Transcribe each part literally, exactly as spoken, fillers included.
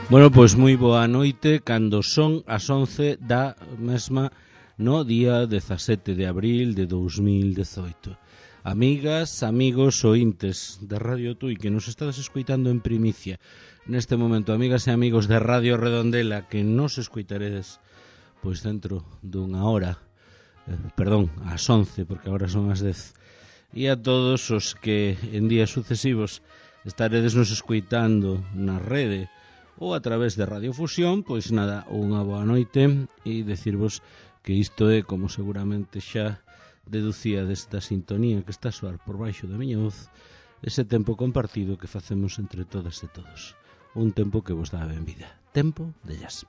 Bueno, pois moi boa noite, cando son as once da mesma no día dezasete de abril de dous mil dezoito. Amigas, amigos, ointes de Radio Tui que nos estades escoitando en primicia neste momento, amigas e amigos de Radio Redondela que nos escoitaredes pois dentro dunha hora, eh, perdón, ás once, porque agora son as dez, e a todos os que en días sucesivos estaredes nos escoitando na rede ou a través de Radiofusión, pois nada, unha boa noite e decirvos que isto é, como seguramente xa deducía desta sintonía que está a soar por baixo da miña voz, ese tempo compartido que facemos entre todas e todos. Un tempo que vos dá a benvida. Tempo de jazz.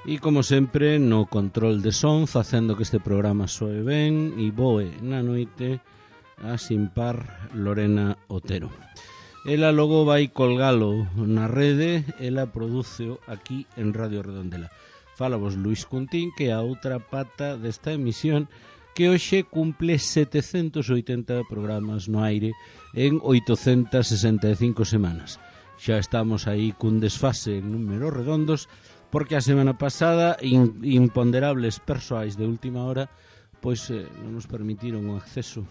E como sempre, no control de son, facendo que este programa soe ben e voe na noite, a sin par Lorena Otero. Ela logo vai colgalo na rede, ela prodúceo aquí en Radio Redondela. Fálavos Luis Cuntín, que é a outra pata desta emisión, que hoxe cumple setecentos e oitenta programas no aire en oitocentas sesenta e cinco semanas. Xa estamos aí cun desfase en números redondos, porque a semana pasada in, imponderables persoais de última hora pois eh, non nos permitiron o acceso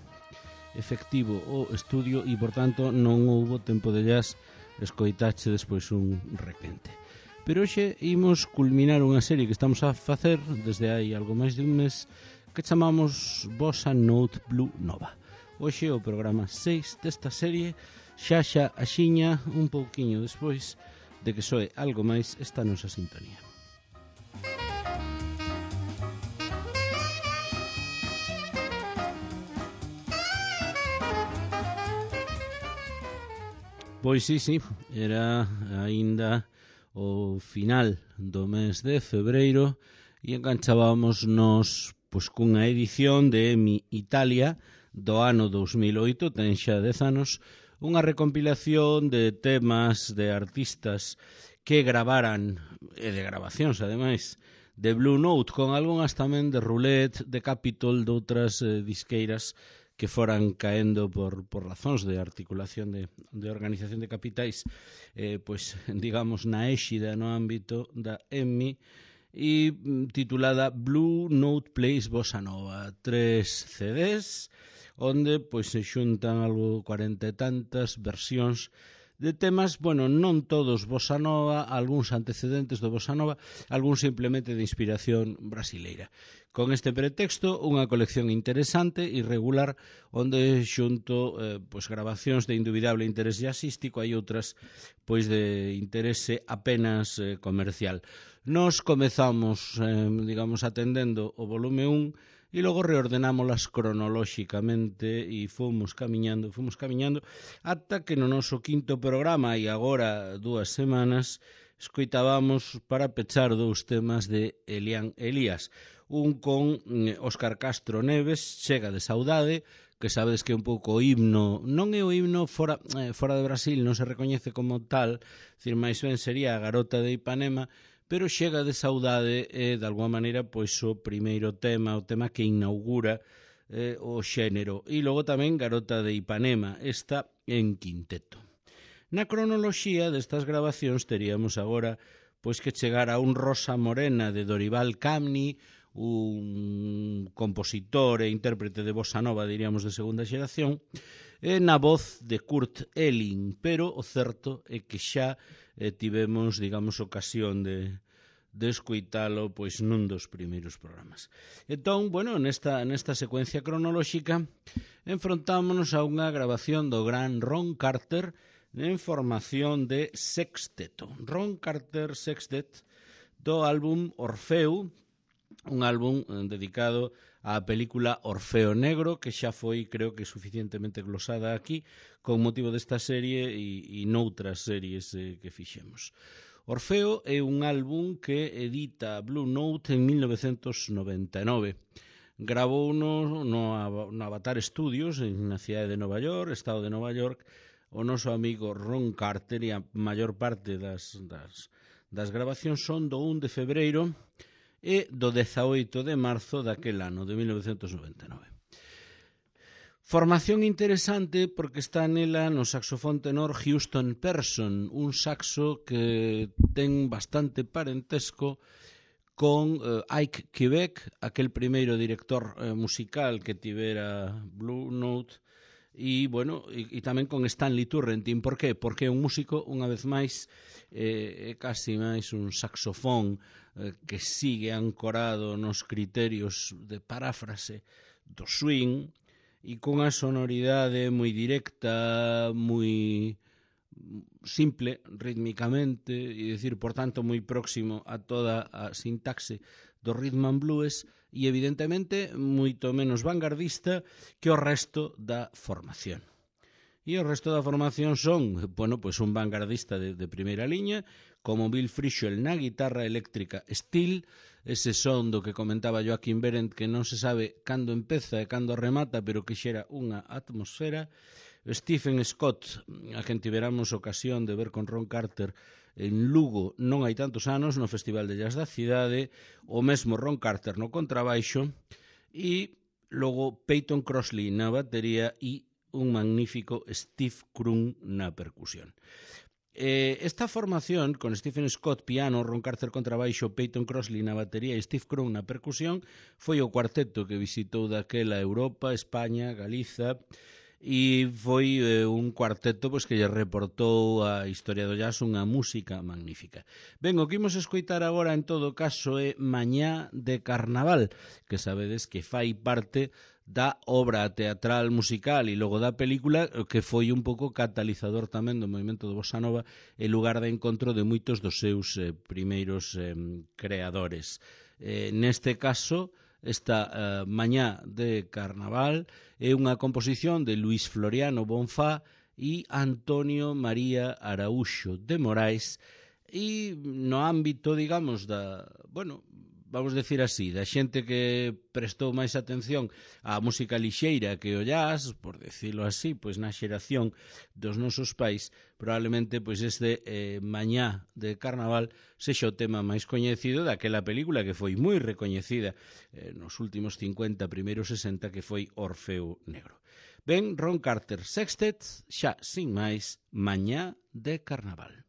efectivo ao estudio e, por tanto, non houbo tempo de jazz, escoitache despois un requente. Pero hoxe imos culminar unha serie que estamos a facer desde hai algo máis de un mes que chamamos Bossa Note Blue Nova. Hoxe o programa seis desta serie, xa xa axiña un pouquiño despois de que soe algo máis esta nosa sintonía. Pois sí, sí, era aínda o final do mes de febreiro e enganchábamos nos pois, cunha edición de EMI Italia do ano dous mil oito, ten xa dez anos, unha recompilación de temas de artistas que gravaran, e de grabacións, ademais, de Blue Note, con algunhas tamén de Roulette, de Capitol, de outras eh, disqueiras que foran caendo por, por razóns de articulación de, de organización de capitais, eh, pois, digamos, na éxida no ámbito da EMI, e titulada Blue Note Plays Bossa Nova, tres C Ds, onde pois se xuntan algo cuarenta e tantas versións de temas, bueno, non todos bossa nova, algúns antecedentes do bossa nova, algúns simplemente de inspiración brasileira. Con este pretexto, unha colección interesante e regular, onde xunto eh, pois, grabacións de indubidable interés jazzístico, hai outras pois de interese apenas eh, comercial. Nos comezamos, eh, digamos, atendendo o volume un, e logo reordenámolas cronolóxicamente e fomos camiñando, fomos camiñando ata que no noso quinto programa, e agora dúas semanas, escoitábamos para pechar dous temas de Elian Elías. Un con Óscar Castro Neves, Chega de Saudade, que sabedes que é un pouco o himno, non é o himno fora, eh, fora de Brasil, non se recoñece como tal, decir, máis ben sería a Garota de Ipanema, pero Chega de Saudade é, de alguma maneira, pois o primeiro tema, o tema que inaugura eh, o xénero. E logo tamén Garota de Ipanema, esta en quinteto. Na cronoloxía destas grabacións teríamos agora pois que chegar a un Rosa Morena de Dorival Caymmi, un compositor e intérprete de bossa nova, diríamos, de segunda xeración, e na voz de Kurt Elling, pero o certo é que xa eh, tivemos, digamos, ocasión de, de escoitalo pois nun dos primeiros programas. Entón, bueno, nesta, nesta secuencia cronolóxica enfrontámonos a unha grabación do gran Ron Carter en formación de sexteto. Ron Carter Sextet do álbum Orfeu, un álbum dedicado á película Orfeo Negro, que xa foi, creo que, suficientemente glosada aquí, con motivo desta serie e, e noutras series eh, que fixemos. Orfeo é un álbum que edita Blue Note en mil novecentos noventa e nove. Gravou no, no, no Avatar Studios, na cidade de Nova York, estado de Nova York, o noso amigo Ron Carter, e a maior parte das, das, das grabacións son do un de febreiro e do dezaoito de marzo daquel ano, de mil novecentos noventa e nove. Formación interesante porque está nela no saxofón tenor Houston Person, un saxo que ten bastante parentesco con eh, Ike Quebec, aquel primeiro director eh, musical que tivera Blue Note, e, bueno, e, e tamén con Stanley Turrentine. Por qué? Porque é un músico, unha vez máis, eh, é casi máis un saxofón eh, que sigue ancorado nos criterios de paráfrase do swing, e cunha sonoridade moi directa, moi simple rítmicamente, e dicir, por tanto, moi próximo a toda a sintaxe do rhythm and blues, e evidentemente moito menos vanguardista que o resto da formación. E o resto da formación son, bueno, pues un vanguardista de, de primeira liña, como Bill Frisell na guitarra eléctrica Steel, ese son do que comentaba Joaquín Berendt, que non se sabe cando empeza e cando remata, pero que xera unha atmosfera. Stephen Scott, a quen tiveramos ocasión de ver con Ron Carter en Lugo non hai tantos anos, no Festival de Jazz da Cidade, o mesmo Ron Carter no contrabaixo, e logo Peyton Crossley na batería e un magnífico Steve Krum na percusión. Eh, esta formación, con Stephen Scott piano, Ron Carter contrabaixo, Peyton Crossley na batería e Steve Krum na percusión, foi o cuarteto que visitou daquela Europa, España, Galiza, e foi eh, un cuarteto pois, que lle reportou a historia do jazz unha música magnífica. Ben, o que imos escoitar agora en todo caso é Mañá de Carnaval, que sabedes que fai parte da obra teatral musical e logo da película, que foi un pouco catalizador tamén do movimento do Bossa Nova e lugar de encontro de moitos dos seus eh, primeiros eh, creadores. Eh, neste caso, esta eh, Mañá de Carnaval é unha composición de Luis Floriano Bonfá e Antonio María Araúxo de Morais, e no ámbito, digamos, da, bueno, vamos decir así, da xente que prestou máis atención á música lixeira que o jazz, por decirlo así, pois na xeración dos nosos pais, probablemente pois este eh, Mañá de Carnaval sexa o tema máis coñecido daquela película que foi moi recoñecida eh, nos últimos cincuenta, primeiros sesenta, que foi Orfeo Negro. Ben, Ron Carter Sextet, xa sin máis, Mañá de Carnaval.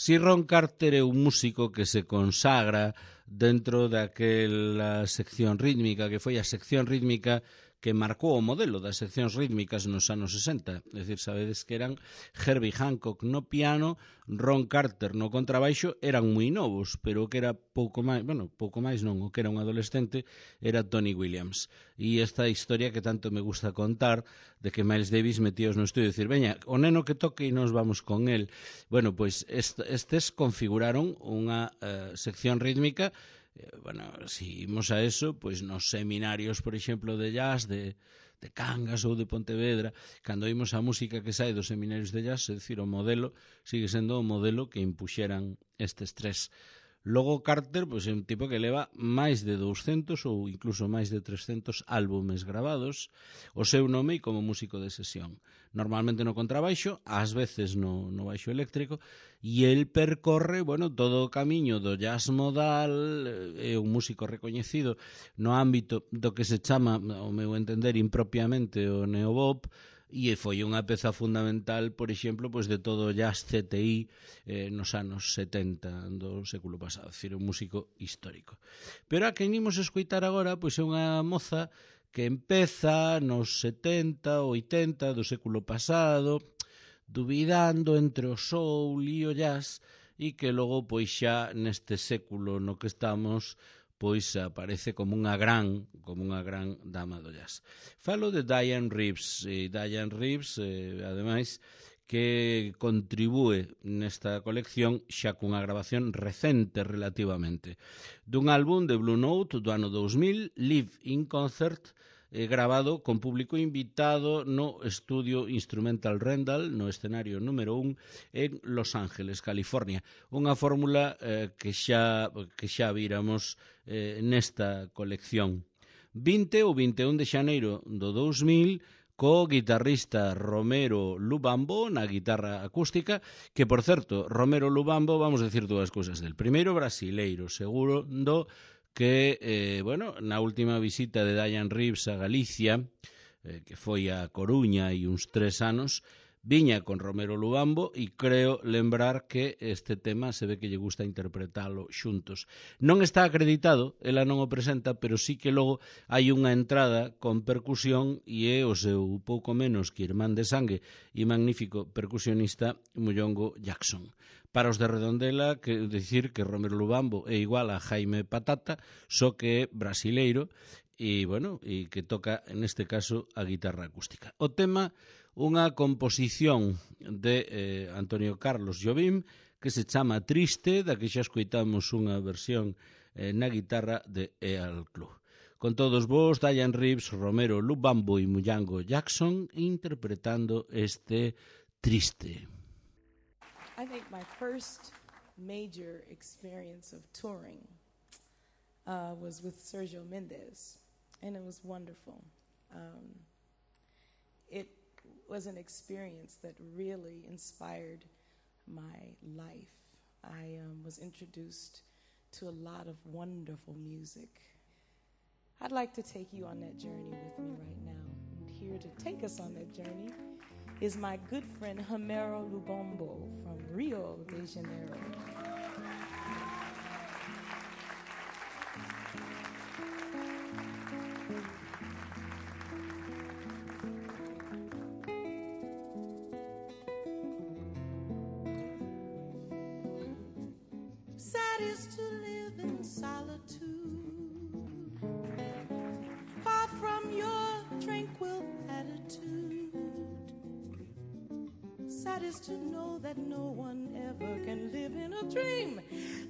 Si Ron Carter é un músico que se consagra dentro daquela sección rítmica, que foi a sección rítmica que marcou o modelo das seccións rítmicas nos anos sesenta. É dicir, sabedes que eran Herbie Hancock no piano, Ron Carter no contrabaixo, eran moi novos, pero o que era pouco máis, bueno, pouco máis non, o que era un adolescente era Tony Williams. E esta historia que tanto me gusta contar, de que Miles Davis metíos no estudio e dicir, veña, o neno que toque e nos vamos con el. Bueno, pois est estes configuraron unha uh, sección rítmica. Bueno, si imos a eso, pois nos seminarios, por exemplo, de jazz de, de Cangas ou de Pontevedra, cando imos a música que sai dos seminarios de jazz, é dicir, o modelo sigue sendo o modelo que impuxeran estes tres. Logo Carter, pois, é un tipo que leva máis de douscentos ou incluso máis de trescentos álbumes gravados, o seu nome como músico de sesión. Normalmente no contrabaixo, ás veces no, no baixo eléctrico, e el percorre, bueno, todo o camiño do jazz modal, é un músico recoñecido no ámbito do que se chama, ao meu entender, impropiamente o neobop, e foi unha peza fundamental, por exemplo, pois de todo o jazz C T I eh, nos anos setenta do século pasado, é dicir, un músico histórico. Pero a quen imos escoitar agora, pois é unha moza que empeza nos setenta, oitenta do século pasado, dubidando entre o soul e o jazz, e que logo, pois xa neste século no que estamos, pois aparece como unha gran, como unha gran dama do jazz. Falo de Dianne Reeves, e Dianne Reeves, eh, ademais, que contribúe nesta colección xa cunha grabación recente relativamente dun álbum de Blue Note do ano dous mil, Live in Concert, eh, grabado con público invitado no estudio Instrumental Rendall, no escenario número un, en Los Ángeles, California. Unha fórmula eh, que xa que xa víramos eh, nesta colección. vinte ou vinte e un de xaneiro do dous mil, co guitarrista Romero Lubambo na guitarra acústica, que, por certo, Romero Lubambo, vamos a decir dúas cousas del. Primeiro, brasileiro, segundo que, eh, bueno, na última visita de Dianne Reeves a Galicia, eh, que foi a Coruña e uns tres anos, viña con Romero Lubambo e creo lembrar que este tema se ve que lle gusta interpretalo xuntos. Non está acreditado, ela non o presenta, pero sí que logo hai unha entrada con percusión e é o seu pouco menos que irmán de sangue e magnífico percusionista Muyongo Jackson. Para os de Redondela, que dicir que Romero Lubambo é igual a Jaime Patata, só que é brasileiro e, bueno, e que toca, neste caso, a guitarra acústica. O tema, unha composición de eh, Antonio Carlos Jobim, que se chama Triste, da que xa escoitamos unha versión eh, na guitarra de Earl Club. Con todos vos, Dianne Reeves, Romero Lubambo e Muyongo Jackson interpretando este Triste. I think my first major experience of touring uh, was with Sergio Mendes, and it was wonderful. Um, it was an experience that really inspired my life. I um, was introduced to a lot of wonderful music. I'd like to take you on that journey with me right now. And here to take us on that journey is my good friend Romero Lubambo from Rio de Janeiro. Sad is to live in solitude, far from your tranquil attitude. Sad is to know that no one ever can live in a dream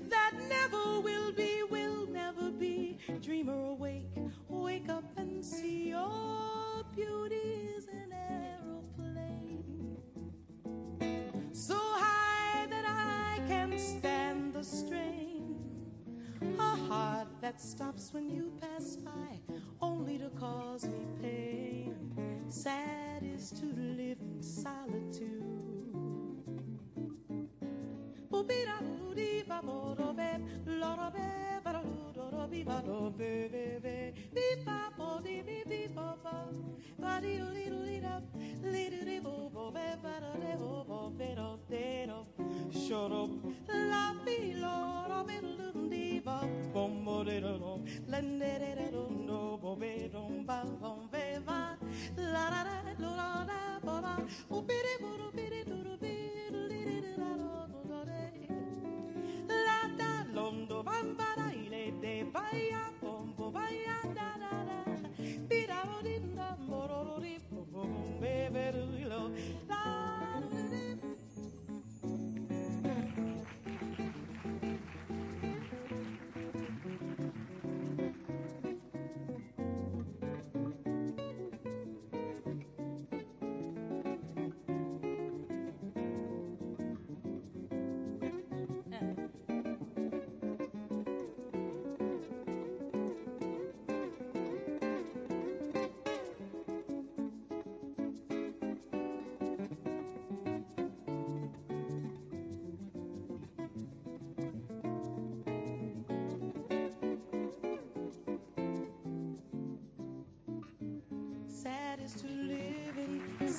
that never will be, will never be. Dreamer awake, wake up and see your beauty is an aeroplane, so high that I can stand the strain. A heart that stops when you pass by, only to cause me pain. Sad is to live in solitude. Shut up,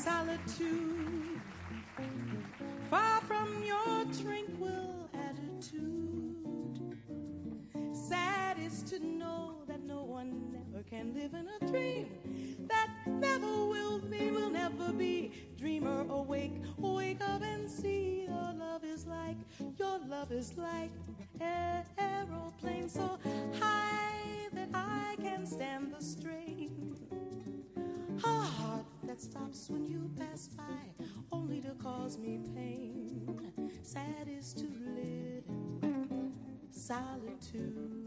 solitude, far from your tranquil attitude. Sad is to know that no one never can live in a dream that never will be, will never be. Dreamer awake, wake up and see your love is like, your love is like an aeroplane so high that I can stand the strain. A heart that stops when you pass by, only to cause me pain. Sad is to live in solitude.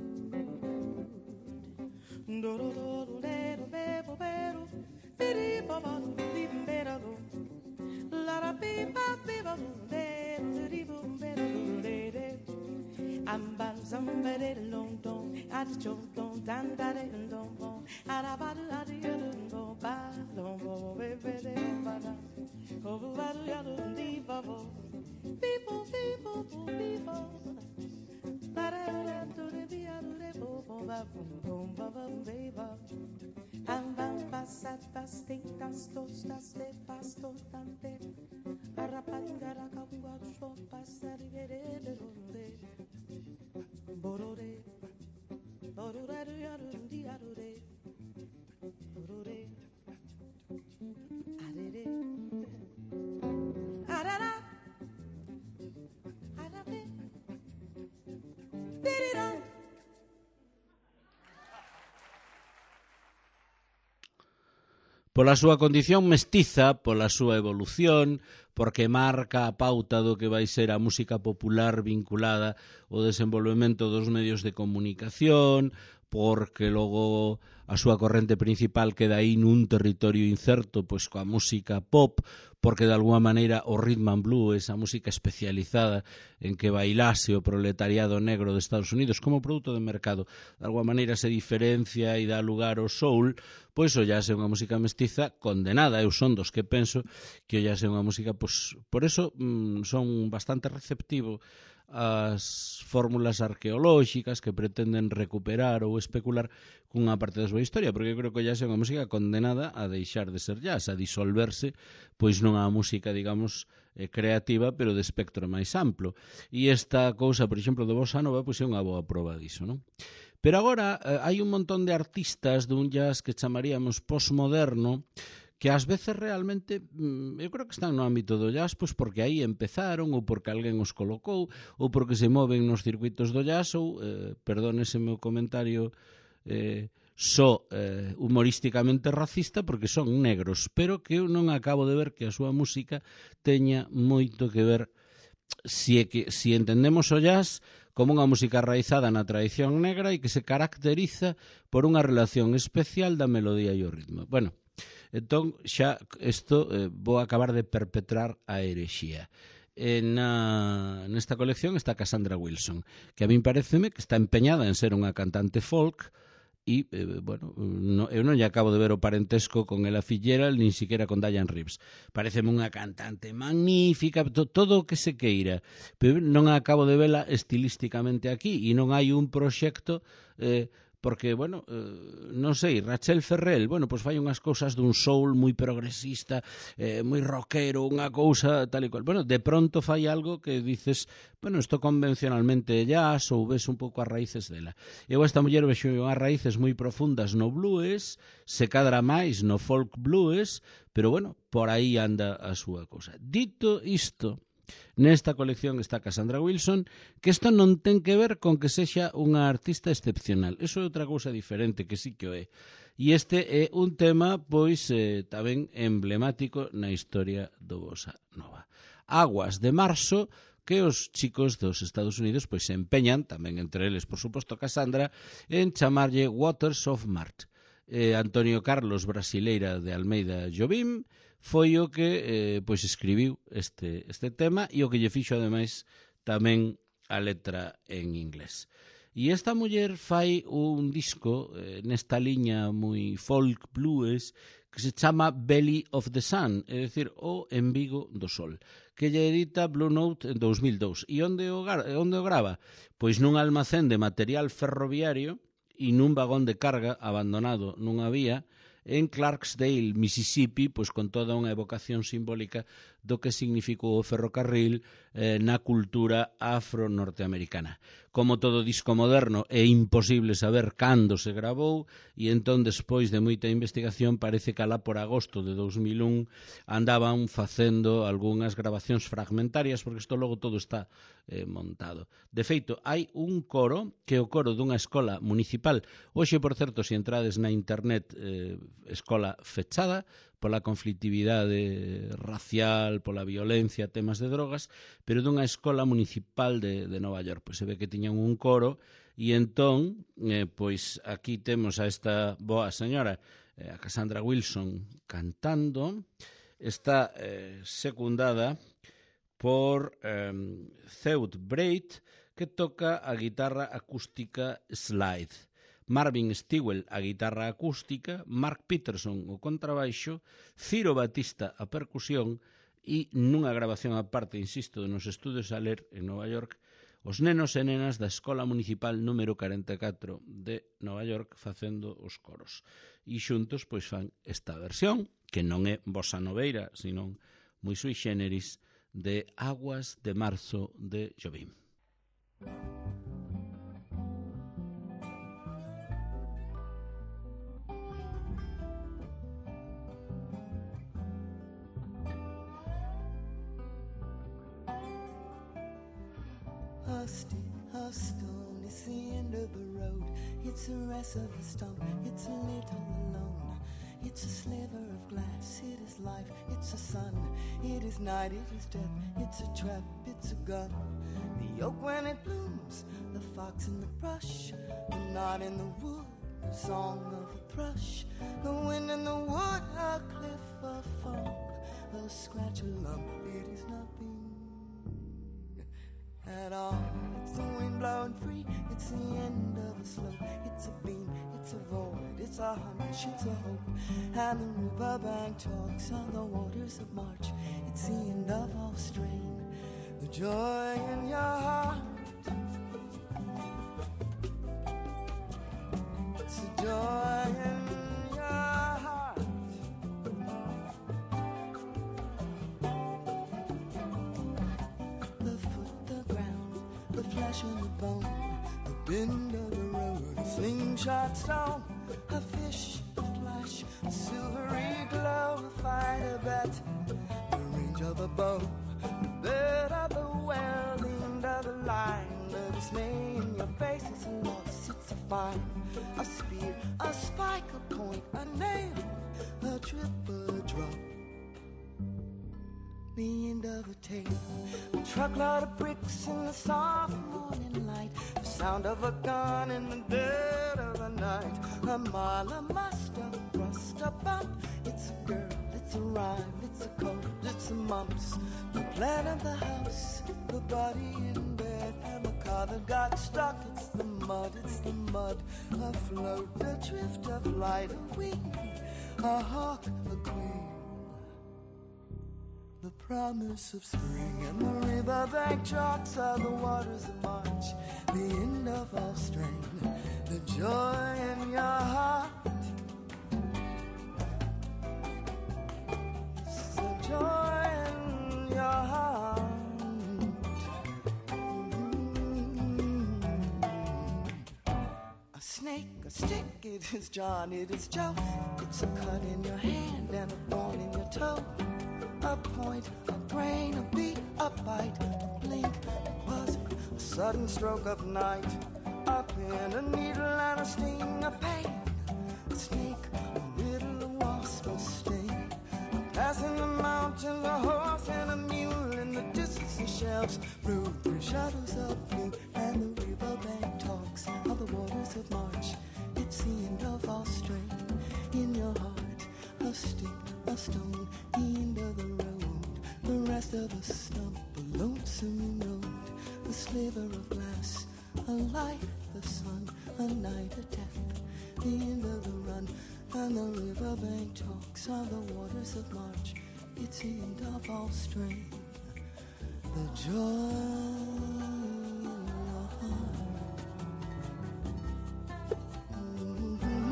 I'm bad somebody long dong at the chong dong dan da de dong dong at a bad at the dong ba dong bo baby de ba da oh ba do ya do di ba bo people people people da da da do de di a do de bo bo ba bo ba ba ba am bam passat pasti tas tos tas de pasto tante arapangara kaungwa so passari de de de Borore, borore, yarundi, yarure, borore, arere, arara, arare, dirira. Pola súa condición mestiza, pola súa evolución, porque marca a pauta do que vai ser a música popular vinculada ao desenvolvemento dos medios de comunicación, porque logo a súa corrente principal queda aí nun territorio incerto, pois coa música pop, porque de alguma maneira o rhythm and blues, a música especializada en que bailase o proletariado negro de Estados Unidos como produto de mercado, de alguma maneira se diferencia e dá lugar ao soul, pois o jazz é unha música mestiza condenada. Eu son dos que penso que o jazz é unha música, pois por eso mmm, son bastante receptivo as fórmulas arqueolóxicas que pretenden recuperar ou especular cunha parte da súa historia, porque eu creo que o jazz é unha música condenada a deixar de ser jazz, a disolverse, pois non a música, digamos, eh, creativa, pero de espectro máis amplo. E esta cousa, por exemplo, de bossa nova, pois é unha boa proba diso, non? Pero agora eh, hai un montón de artistas dun jazz que chamaríamos postmoderno, que ás veces realmente, eu creo que están no ámbito do jazz, pois porque aí empezaron, ou porque alguén os colocou, ou porque se moven nos circuitos do jazz, ou, eh, perdónese meu comentario, eh, só eh, humorísticamente racista, porque son negros, pero que eu non acabo de ver que a súa música teña moito que ver, si, é que, si entendemos o jazz como unha música arraizada na tradición negra e que se caracteriza por unha relación especial da melodía e o ritmo. Bueno, entón xa isto eh, vou acabar de perpetrar a herexía. Eh, na, nesta colección está Cassandra Wilson, que a min pareceme que está empeñada en ser unha cantante folk e, eh, bueno, no, eu non lle acabo de ver o parentesco con Ella Fitzgerald, nin siquiera con Diane Reeves. Pareceme unha cantante magnífica, to, todo o que se queira, pero non acabo de vela estilísticamente aquí, e non hai un proxecto... Eh, porque, bueno, eh, non sei, Rachel Ferrell, bueno, pois fai unhas cousas dun soul moi progresista, eh, moi rockero, unha cousa tal e cual. Bueno, de pronto fai algo que dices, bueno, isto convencionalmente jazz, ou ves un pouco as raíces dela. Eu a esta muller vexo unhas raíces moi profundas no blues, se cadra máis no folk blues, pero, bueno, por aí anda a súa cousa. Dito isto, nesta colección está Cassandra Wilson, que isto non ten que ver con que sexa unha artista excepcional. Eso é outra cousa diferente, que sí que o é. E este é un tema, pois, eh, tamén emblemático na historia do bossa nova. Aguas de Marzo, que os chicos dos Estados Unidos pois se empeñan, tamén entre eles, por suposto, Cassandra, en chamarlle Waters of March. Eh, Antonio Carlos Brasileira de Almeida Jobim foi o que eh, pois escribiu este, este tema e o que lle fixo ademais tamén a letra en inglés. E esta muller fai un disco eh, nesta liña moi folk blues que se chama Belly of the Sun, é dicir, o embigo do sol, que lle edita Blue Note en dos mil dous. E onde o, onde o grava? Pois nun almacén de material ferroviario e nun vagón de carga abandonado nunha vía en Clarksdale, Mississippi, pois con toda unha evocación simbólica do que significou o ferrocarril eh, na cultura afro-norteamericana. Como todo disco moderno, é imposible saber cando se gravou e entón, despois de moita investigación, parece que alá por agosto de dous mil un andaban facendo algunhas grabacións fragmentarias, porque isto logo todo está eh, montado. De feito, hai un coro que é o coro dunha escola municipal. Hoxe, por certo, se entrades na internet, eh, escola fechada pola conflictividade racial, pola violencia, temas de drogas, pero dunha escola municipal de, de Nova York. Pois se ve que tiñan un coro e entón, eh, pois aquí temos a esta boa señora, eh, a Cassandra Wilson, cantando. Está eh, secundada por eh, Theud Braid, que toca a guitarra acústica slide. Marvin Stewell a guitarra acústica, Mark Peterson o contrabaixo, Ciro Batista a percusión e nunha grabación aparte, insisto, nos estudios Aler en Nova York, os nenos e nenas da Escola Municipal número cuarenta e catro de Nova York facendo os coros. E xuntos pois fan esta versión, que non é bossa noveira, senón moi sui generis, de Aguas de Marzo de Jobim. A stick, a stone, it's the end of the road. It's the rest of a stump, it's a little alone. It's a sliver of glass, it is life, it's a sun, it is night, it is death, it's a trap, it's a gun. The oak when it blooms, the fox in the brush, the knot in the wood, the song of a thrush, the wind in the wood, a cliff, a fog, a scratch, a lump, it is nothing at all. It's the wind blowing free, it's the end of a slope, it's a beam, it's a void, it's a hunch, it's a hope. And the riverbank talks on the waters of March, it's the end of all strain, the joy in your heart. It's the joy in your heart. The foot, the ground, the flesh and the bone, the bend of the road, a slingshot stone, a fish, a flash, a silvery glow, a fight, a bet, the range of a bow, the bed of the well, the end of the line, the dismay in your face, it's a loss, it's a fine, a spear, a spike, a point, a nail, a trip, a drop, the end of a tale, a truckload of bricks in the soft morning light, the sound of a gun in the dead of the night, a mile, a muster, a thrust, a bump, it's a girl, it's a rhyme, it's a cold, it's a mumps, the plan of the house, the body in bed, and the car that got stuck, it's the mud, it's the mud, a float, a drift, a flight, a wing, a hawk, a queen. The promise of spring and the riverbank chalks are the waters of March, the end of all strain, the joy in your heart. It's the joy in your heart. Mm-hmm. A snake, a stick, it is John, it is Joe. It's a cut in your hand and a thorn in your toe. A point, a grain, a beat, a bite, a blink, a buzz, a sudden stroke of night, a pin, a needle and a sting, a pain, a snake, a little wasp, a sting, a pass in the mountains, a horse and a mule in the distance, the shelves, through the shadows of blue, and the riverbank talks of the waters of March. It's the end of all strain in your heart, a stick, a stone, the end of the road, the rest of a stump, a lonesome road, the sliver of glass, a life, the sun, a night, a death, the end of the run, and the riverbank talks on the waters of March. It's the end of all strain, the joy in your heart. Mm-hmm.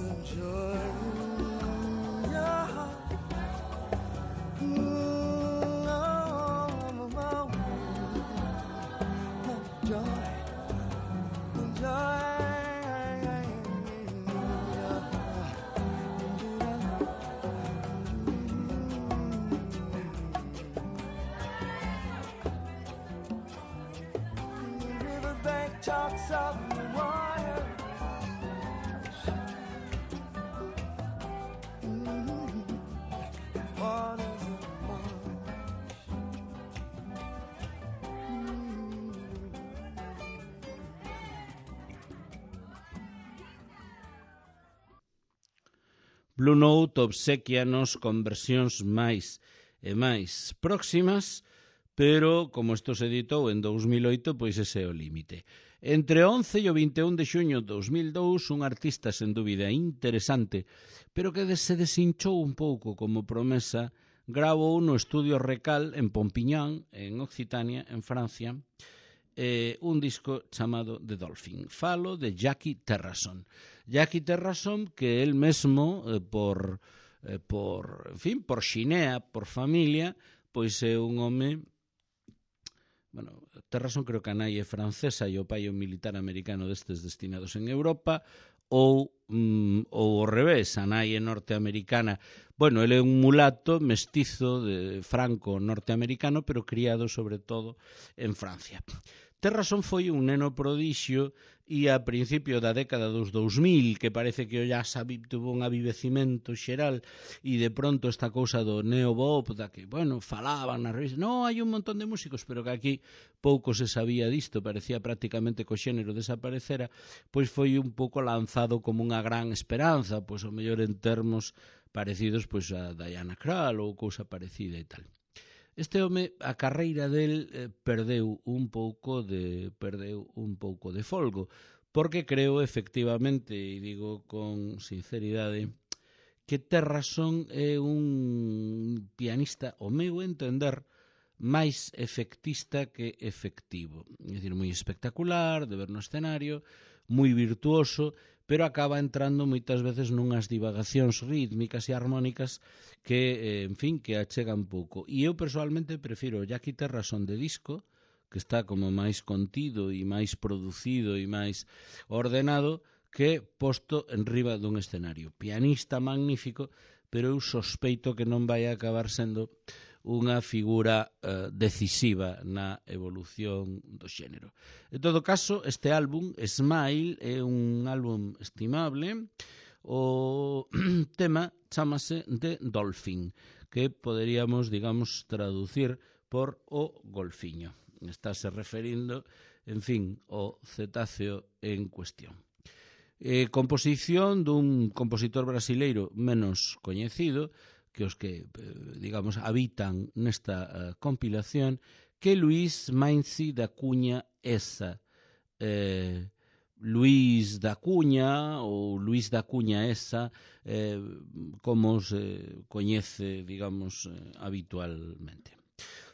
enjoy your heart. Mm, oh, oh, oh. Enjoy, enjoy. Talks of the water. Mm-hmm. Water's a marsh. Mm-hmm. Blue Note obsequianos con versións máis e máis próximas, pero como isto se editou en dous mil oito, pois ese é o límite. Entre o once e o vinte e un de xuño de dous mil dous, un artista sen dúbida interesante, pero que se desinchou un pouco como promesa, gravou no estudio Recal en Pompiñán, en Occitania, en Francia, eh, un disco chamado The Dolphin. Falo de Jackie Terrasson. Jackie Terrasson, que él mesmo, eh, por, eh, por, en fin, por xinea, por familia, pois é un home... Bueno, Terrasson creo que a nai é francesa e o pai é un militar americano destes destinados en Europa, ou, mm, ou ao revés, a nai é norteamericana. Bueno, ele é un mulato mestizo de franco norteamericano, pero criado sobre todo en Francia. Terrasson foi un neno prodixio e a principio da década dos dous mil, que parece que o jazz tuvo un avivecimento xeral e de pronto esta cousa do neobop, da que, bueno, falaban nas revistas, no, hai un montón de músicos, pero que aquí pouco se sabía disto, parecía prácticamente que o xénero desaparecera, pois foi un pouco lanzado como unha gran esperanza, pois o mellor en termos parecidos pois a Diana Krall ou cousa parecida e tal. Este home, a carreira del eh, perdeu un pouco de perdeu un pouco de folgo, porque creo efectivamente, e digo con sinceridade, que Terrasson é un pianista, ao meu entender, máis efectista que efectivo. É dicir, moi espectacular, de ver no escenario, moi virtuoso, pero acaba entrando moitas veces nunhas divagacións rítmicas e armónicas que, en fin, que achegan pouco. E eu persoalmente prefiro o Jackie Terrasson de disco, que está como máis contido e máis producido e máis ordenado, que posto en riba dun escenario. Pianista magnífico, pero eu sospeito que non vai acabar sendo unha figura eh, decisiva na evolución do xénero. En todo caso, este álbum, Smile, é un álbum estimable. O tema chámase The Dolphin, que poderíamos, digamos, traducir por o golfiño. Estáse referindo, en fin, ao cetáceo en cuestión. Eh, composición dun compositor brasileiro menos coñecido, que os que, digamos, habitan nesta uh, compilación, que Luís Mainzi da Cunha Essa. Eh, Luís da Cunha ou Luís da Cunha Essa, eh, como se coñece, digamos, eh, habitualmente.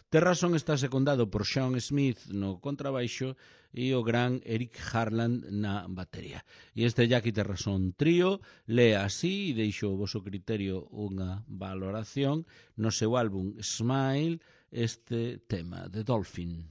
Terrasson está secundado por Sean Smith no contrabaixo e o gran Eric Harland na batería. E este Jackie Terrasson trío lee así, e deixo o voso criterio unha valoración, no seu álbum Smile, este tema, The Dolphin.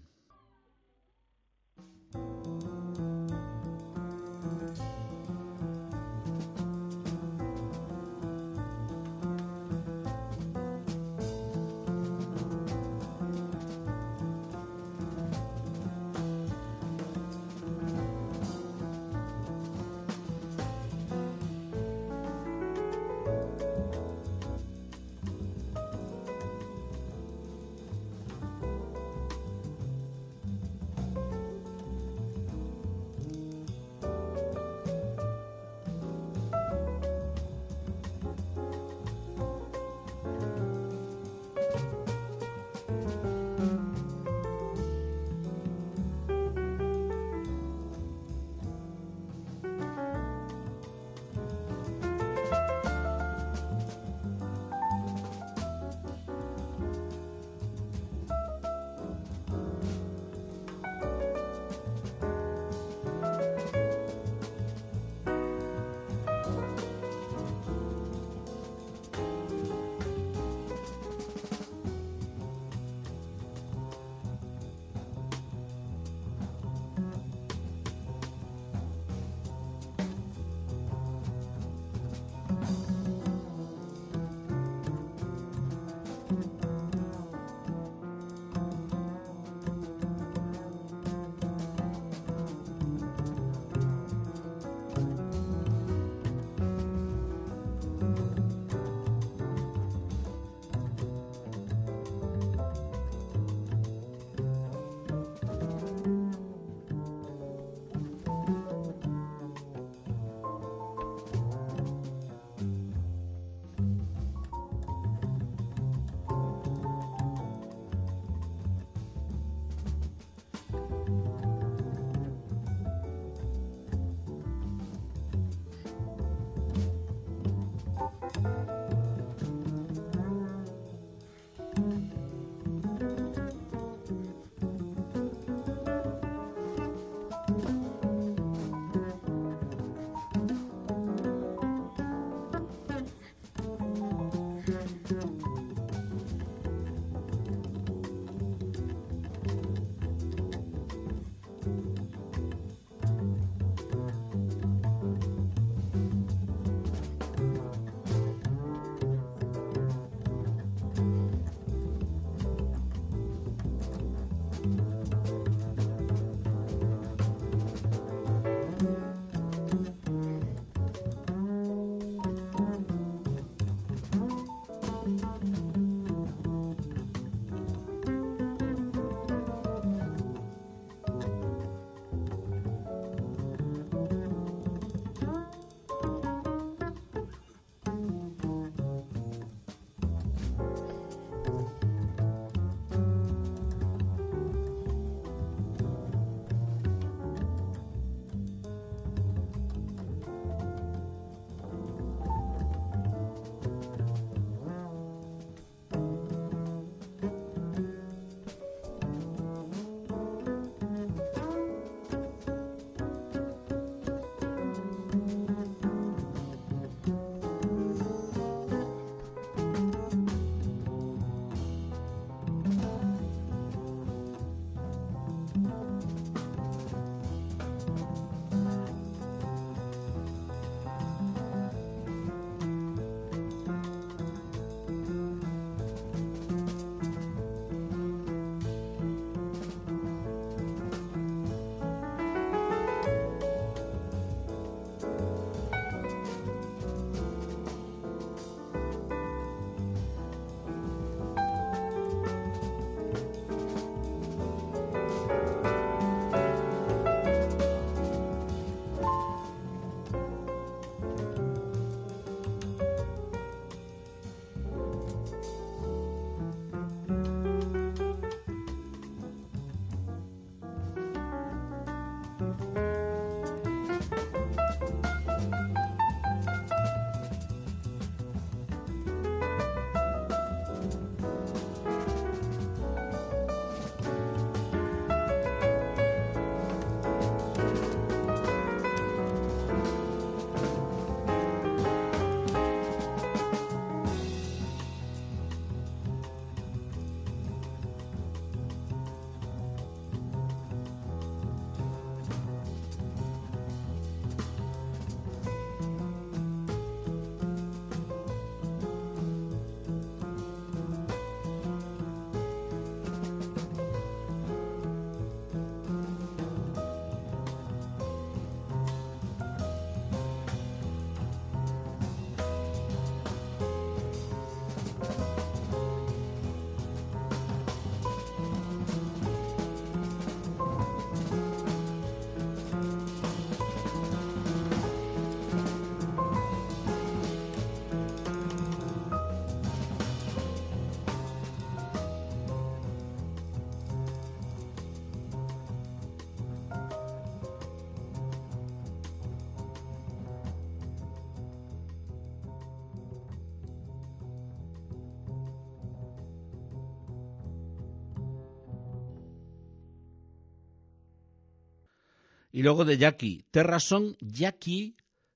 Y luego de Jackie, terras son Jackie,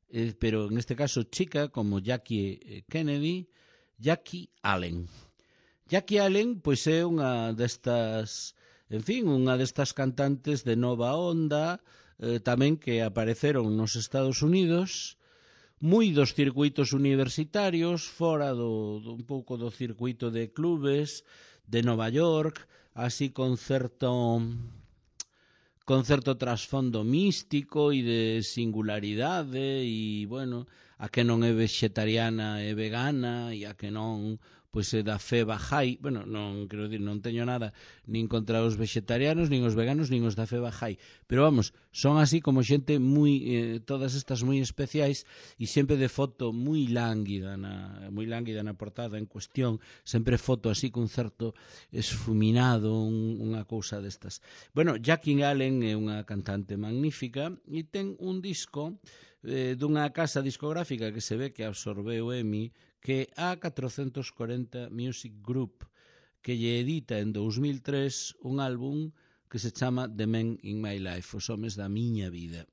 eh, pero en este caso chica, como Jackie eh, Kennedy, Jackie Allen. Jackie Allen, pois é unha destas, en fin, unha destas cantantes de nova onda, eh, tamén que apareceron nos Estados Unidos, moi dos circuitos universitarios, fora do, do un pouco do circuito de clubes de Nova York, así con certo con certo trasfondo místico e de singularidade e, bueno, a que non é vegetariana e vegana e a que non pois é da fe Bahá'í. Bueno, non quero dicir, non teño nada nin contra os vegetarianos, nin os veganos, nin os da fe Bahá'í, pero vamos, son así como xente moi, eh, todas estas moi especiais e sempre de foto moi lánguida na, moi lánguida na portada en cuestión, sempre foto así con certo esfuminado, un, unha cousa destas. Bueno, Jackie Allen é unha cantante magnífica e ten un disco eh, dunha casa discográfica que se ve que absorbeu EMI, que é A catrocentos corenta Music Group, que lle edita en dous mil tres un álbum que se chama The Men in My Life, os homes da miña vida.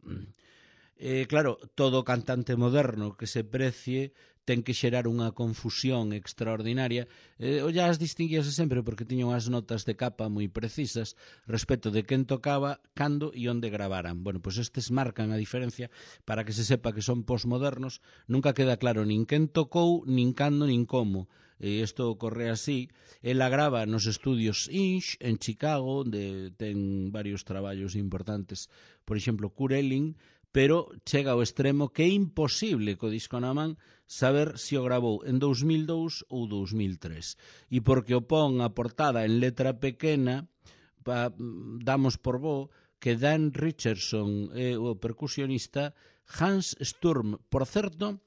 Eh, claro, todo cantante moderno que se precie ten que xerar unha confusión extraordinaria. Eh, o jazz distinguíase sempre porque tiña unhas notas de capa moi precisas respecto de quen tocaba, cando e onde gravaran. Bueno, pois estes marcan a diferencia para que se sepa que son posmodernos. Nunca queda claro nin quen tocou, nin cando, nin como. E isto ocorre así. Ela grava nos estudios Inch en Chicago, onde ten varios traballos importantes, por exemplo, Kurt Elling, pero chega ao extremo que é imposible co disco na man saber se o gravou en dous mil dous ou dous mil tres. E porque o pon a portada en letra pequena, pa, damos por bo que Dan Richardson é o percusionista, Hans Sturm, por certo,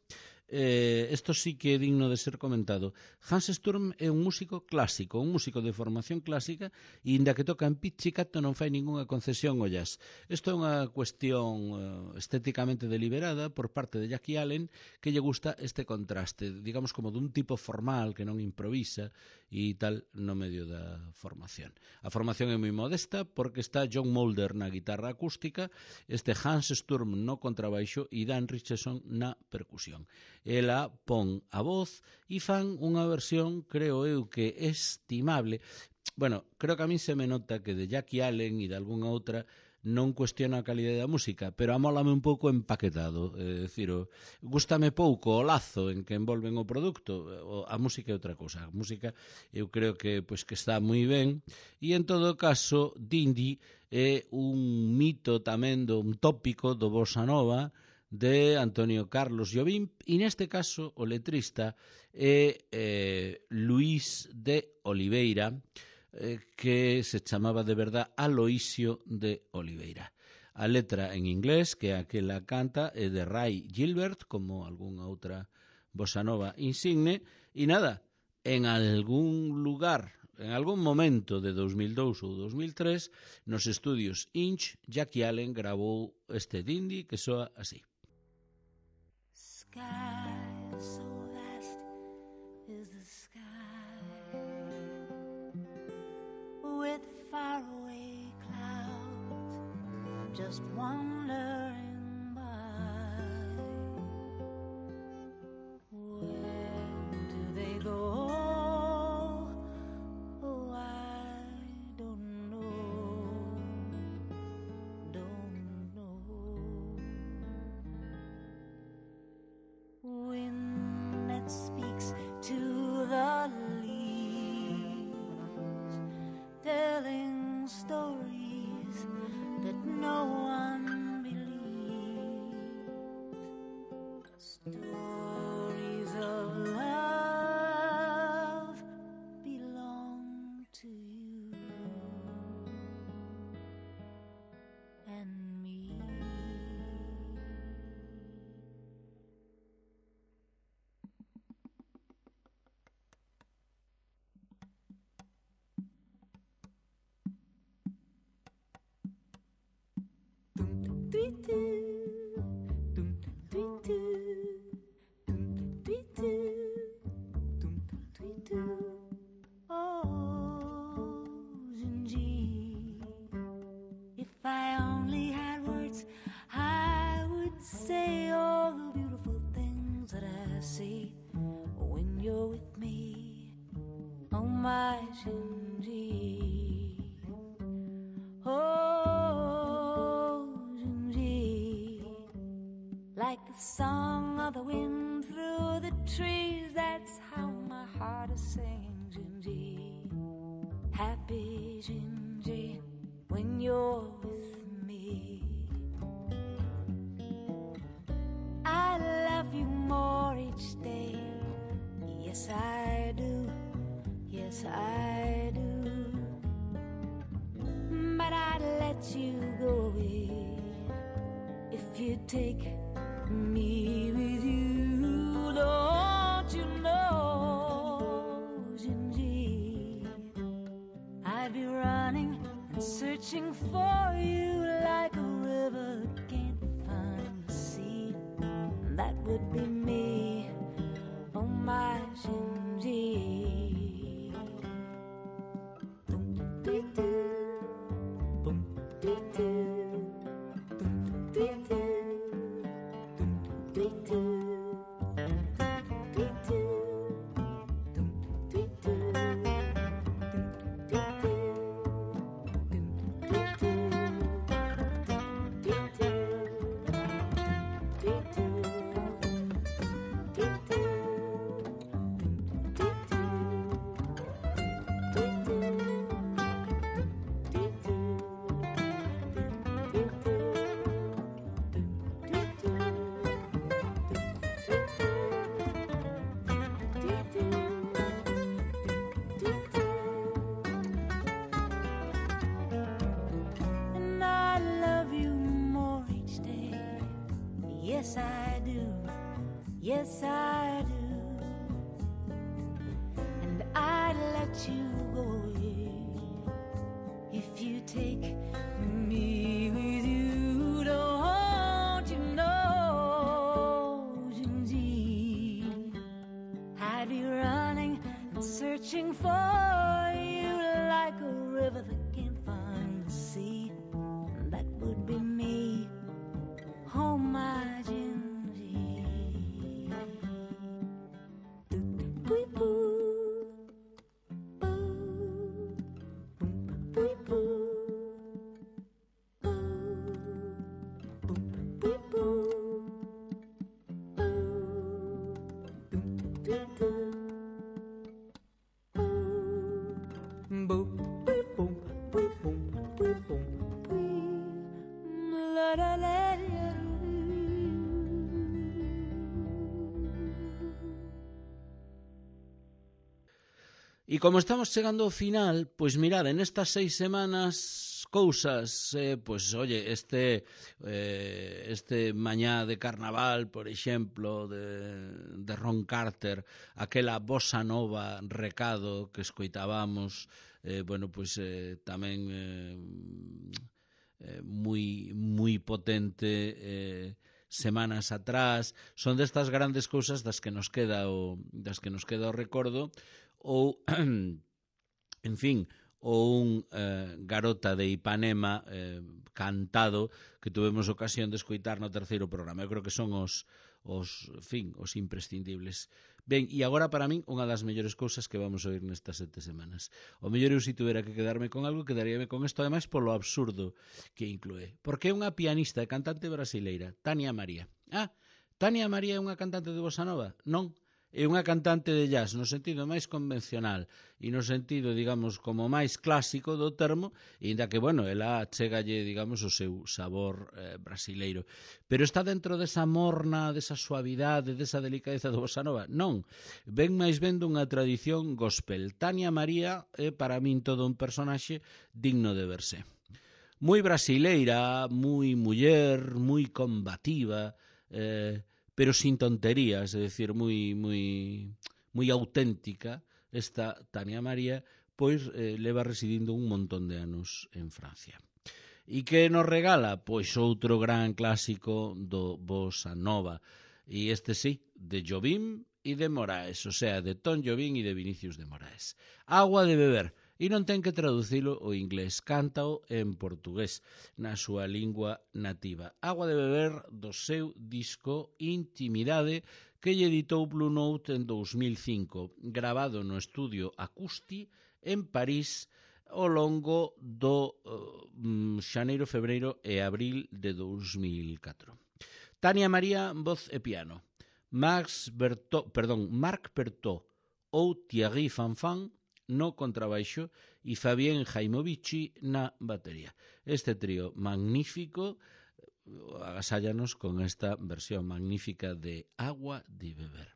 eh, isto sí que é digno de ser comentado. Hans Sturm é un músico clásico, un músico de formación clásica, e inda que toca en pizzicato non fai ningunha concesión ao jazz. Isto é unha cuestión uh, estéticamente deliberada por parte de Jackie Allen, que lle gusta este contraste, digamos como dun tipo formal que non improvisa e tal no medio da formación. A formación é moi modesta porque está John Mulder na guitarra acústica, este Hans Sturm no contrabaixo e Dan Richardson na percusión. Ela pon a voz e fan unha versión, creo eu, que estimable. Bueno, creo que a mí se me nota que de Jackie Allen e de algunha outra non cuestiona a calidade da música, pero amólame un pouco empaquetado. É dicir, o, gústame pouco o lazo en que envolven o produto. O, a música é outra cousa. A música eu creo que pois que está moi ben, e en todo caso Dindy é un mito tamén, do, un tópico do bossa nova de Antonio Carlos Jobim, e neste caso o letrista é eh, Luís de Oliveira, eh, que se chamaba de verdad Aloisio de Oliveira. A letra en inglés, que é a que la canta, é de Ray Gilbert, como algunha outra bossa nova insigne, e nada, en algún lugar, en algún momento de dous mil dous ou dous mil tres, nos estudios Inch, Jackie Allen gravou este Dindy que soa así. Sky so vast is the sky, with faraway clouds just wandering by. Where do they go? Oh, I don't know, don't know. Wind that speaks to the leaves, telling stories that no one believes, stories of love belong to you and me. Oh, Gingy, if I only had words ecstasy when you're with me. Oh my Jinji, oh Jinji, like the song of the wind through the trees, that's how my heart is singing, Jinji. Happy Jinji when you're with me. I love you more each day. Yes, I do. Yes, I do. But I'd let you go away if you take me with you. Don't you know, Jinji, I'd be running and searching for you like a river can't find the sea. That would be me, oh my Jinji. Yes, I do. Yes, I do. And I'd let you go away if you take me with you. Don't you know, Jinji, I'd be running and searching for you like a river that can't find the sea. That would be me. Oh my Jinji, boo boo, boo, boo boo, boo, boo boo, la la la. E como estamos chegando ao final, pois mirad, en estas seis semanas cousas, eh, pois oye, este eh, este mañá de carnaval, por exemplo, de, de Ron Carter, aquela bossa nova recado que escoitábamos, eh, bueno, pois eh, tamén eh, eh, moi moi potente, eh, semanas atrás, son destas grandes cousas das que nos queda o das que nos queda o recordo. Ou, en fin, ou un eh, Garota de Ipanema eh, cantado que tuvemos ocasión de escoitar no terceiro programa. Eu creo que son os, os, fin, os imprescindibles. Ben, e agora para min unha das mellores cousas que vamos a oír nestas sete semanas. O mellor eu, se tuvera que quedarme con algo, quedaríame con isto, ademais polo absurdo que inclúe. Porque é unha pianista e cantante brasileira, Tania María. Ah, Tania María é unha cantante de bossa nova? Non. É unha cantante de jazz no sentido máis convencional e no sentido, digamos, como máis clásico do termo, e ainda que, bueno, ela chegalle, digamos, o seu sabor eh, brasileiro. Pero está dentro desa morna, desa suavidade, desa delicadeza do bossa nova? Non. Ven máis ben dunha tradición gospel. Tania María é para min todo un personaxe digno de verse. Moi brasileira, moi muller, moi combativa, eh, pero sin tonterías, é dicir, moi moi moi auténtica, esta Tania María, pois eh, leva residindo un montón de anos en Francia. E que nos regala? Pois outro gran clásico do bossa nova, e este sí, de Jobim e de Moraes, o sea, de Tom Jobim e de Vinicius de Moraes. Agua de beber. E non ten que traducilo ao inglés, cántao en portugués, na súa lingua nativa. Agua de beber do seu disco Intimidade, que lle editou Blue Note en dous mil cinco, grabado no estudio Acústi en París ao longo do uh, xaneiro, febreiro e abril de dous mil catro. Tania María, voz e piano. Max Berto, perdón, Marc Bertot ou Thierry Fanfan no contrabaixo e Fabien Jaimovici na batería. Este trío magnífico agasállanos con esta versión magnífica de Agua de Beber.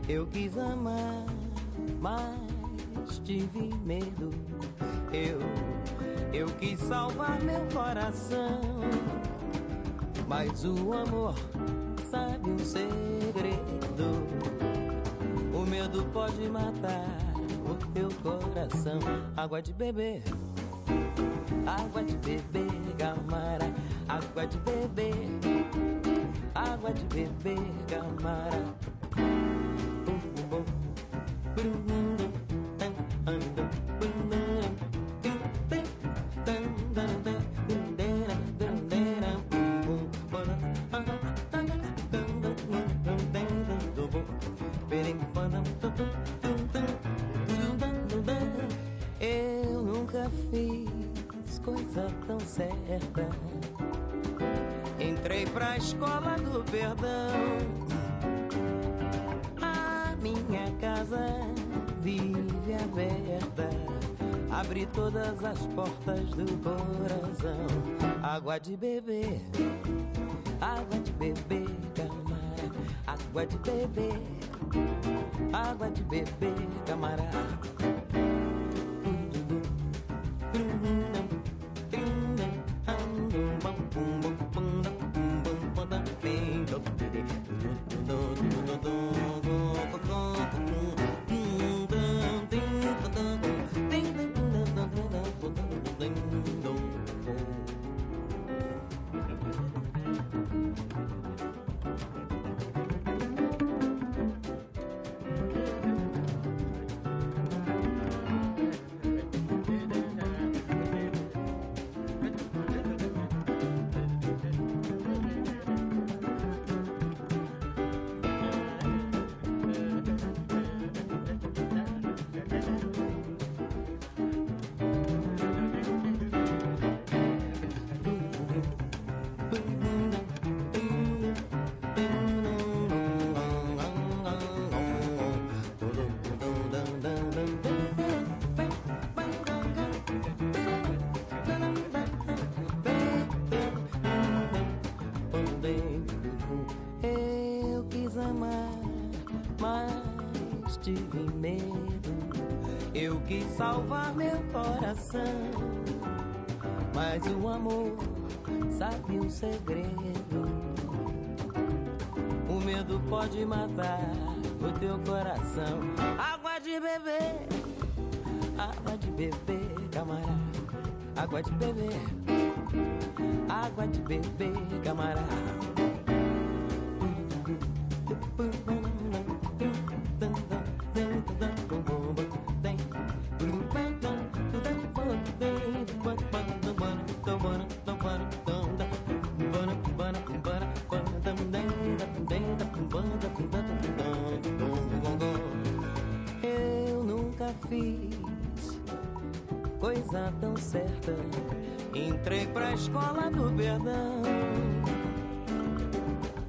Eu quis amar, mas tive medo. Eu, eu quis salvar meu coração, mas o amor sabe um segredo. O medo pode matar o teu coração. Água de beber, água de beber, Gamara. Água de beber, água de beber, Gamara. Eu nunca fiz coisa tão certa. Entrei pra escola do perdão. A minha casa vive aberta. Abri todas as portas do coração. Água de beber, água de beber, camarada. Água de beber, água de beber, camarada. Tive medo, eu quis salvar meu coração, mas o amor sabe um segredo. O medo pode matar o teu coração. Água de beber, água de beber, camarada. Água de beber, água de beber, camarada. Eu nunca fiz coisa tão certa. Entrei pra escola do perdão.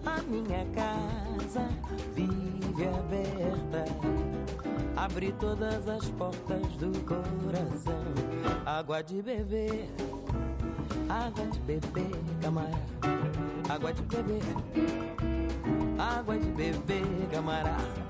A minha casa vive aberta. Abri todas as portas do coração. Água de beber, água de beber, camarada. Água de beber, água de beber, camarada.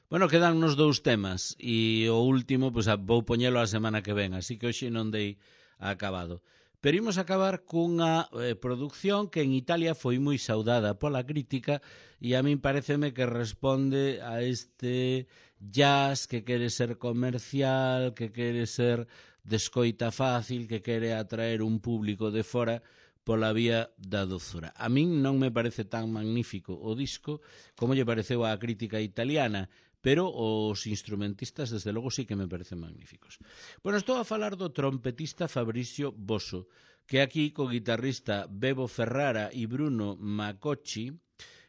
Bueno, quedan nos dous temas e o último, pois, vou poñelo a semana que ven, así que hoxe non dei acabado. Pero imos acabar cunha eh, producción que en Italia foi moi saudada pola crítica e a min pareceme que responde a este jazz que quere ser comercial, que quere ser de escoita fácil, que quere atraer un público de fora pola vía da dozura. A min non me parece tan magnífico o disco como lle pareceu á crítica italiana, pero os instrumentistas, desde logo, sí que me parecen magníficos. Bueno, estou a falar do trompetista Fabrizio Bosio, que aquí co guitarrista Bebo Ferrara e Bruno Macocci,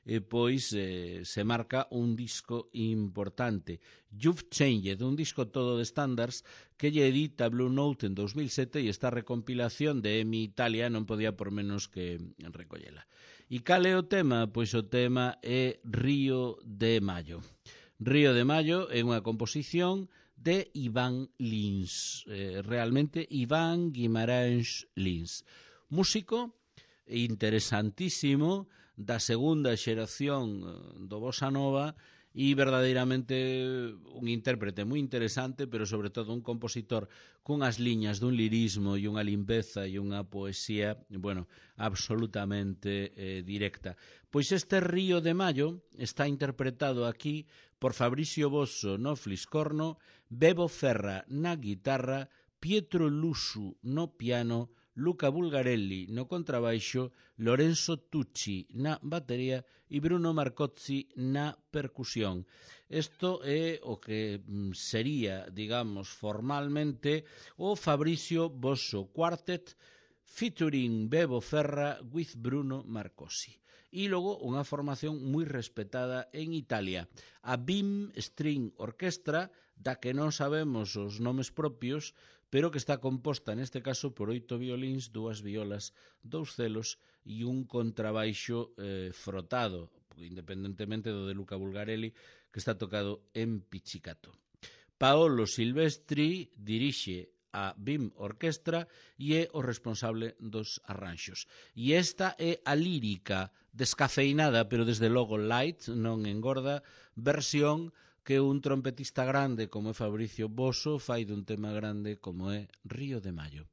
eh, pois eh, se marca un disco importante, You've Changed, un disco todo de standards que lle edita Blue Note en dos mil sete e esta recompilación de Emi Italia non podía por menos que recollela. E cal é o tema? Pois o tema é Río de Mayo. Río de Mayo é unha composición de Iván Lins, eh, realmente Iván Guimarães Lins, músico interesantísimo da segunda xeración do Bossa Nova e verdadeiramente un intérprete moi interesante, pero sobre todo un compositor cunhas liñas dun lirismo e unha limpeza e unha poesía, bueno, absolutamente eh, directa. Pois este Río de Mayo está interpretado aquí por Fabrizio Bosio no fliscorno, Bebo Ferra na guitarra, Pietro Lusu no piano, Luca Bulgarelli no contrabaixo, Lorenzo Tucci na batería e Bruno Marcozzi na percusión. Isto é o que sería, digamos, formalmente o Fabrizio Bosio Quartet featuring Bebo Ferra with Bruno Marcozzi. E logo unha formación moi respetada en Italia, a Bim String Orchestra, da que non sabemos os nomes propios, pero que está composta neste caso por oito violíns, dúas violas, dous celos e un contrabaixo eh, frotado, independentemente do de Luca Bulgarelli, que está tocado en pizzicato. Paolo Silvestri dirixe a Bim Orquestra e é o responsable dos arranxos. E esta é a lírica descafeinada, pero desde logo light, non engorda, versión que un trompetista grande como é Fabrizio Bosio fai dun tema grande como é Río de Mayo.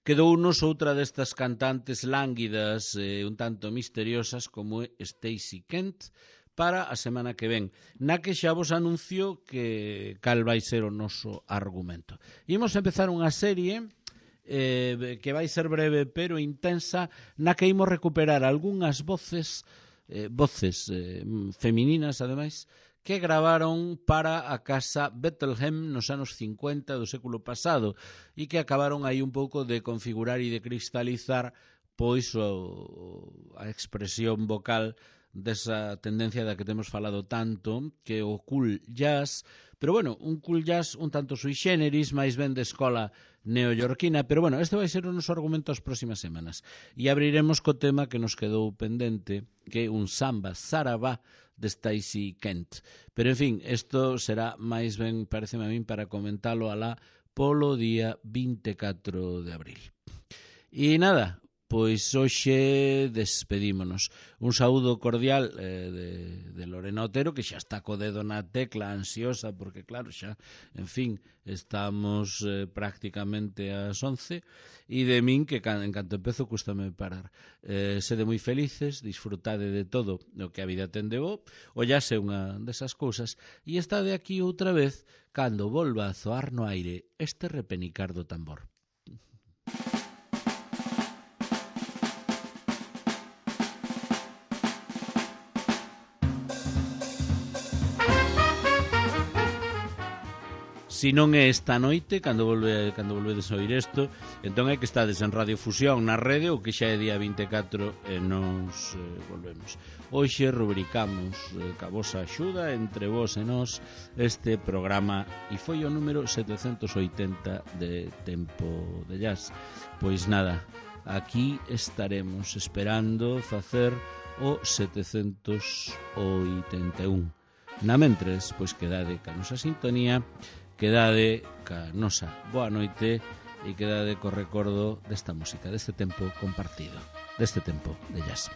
quedounos outra destas cantantes lánguidas e un tanto misteriosas como é Stacey Kent para a semana que ven, na que xa vos anuncio que cal vai ser o noso argumento. Imos empezar unha serie eh, que vai ser breve pero intensa, na que imos recuperar algunhas voces eh, voces eh, femininas, ademais, que gravaron para a casa Bethlehem nos anos cincuenta do século pasado e que acabaron aí un pouco de configurar e de cristalizar pois o, a expresión vocal desa tendencia da que temos falado tanto, que é o cool jazz, pero bueno, un cool jazz un tanto sui generis, máis ben de escola neoyorquina, pero bueno, este vai ser o noso argumento as próximas semanas. E abriremos co tema que nos quedou pendente, que é un samba sarabá de Stacey Kent. Pero, en fin, isto será máis ben, pareceme a min, para comentalo alá polo día vinte e catro de abril. E nada, pois hoxe despedímonos. Un saúdo cordial eh, de, de Lorena Otero, que xa está co dedo na tecla, ansiosa, porque claro, xa, en fin, estamos eh, prácticamente ás once, e de min, que can, en canto empezo, cústame parar. Eh, sede moi felices, disfrutade de todo o que a vida ten de bo, ollase unha desas cousas, e está de aquí outra vez, cando volva a zoar no aire este repenicar do tambor. Si non é esta noite, cando volve cando volvedes a oír isto, entón é que estades en Radio Fusión na rede, ou que xa é día vinte e catro e nos eh, volvemos. Hoxe rubricamos eh, ca vosa axuda entre vos e nós este programa, e foi o número setecentos oitenta de Tempo de Jazz. Pois nada, aquí estaremos esperando facer o setecentos oitenta e un. Na mentres, pois quedade ca nosa sintonía, quedade ca nosa boa noite e quedade co recordo desta música, deste tempo compartido, deste tempo de jazz.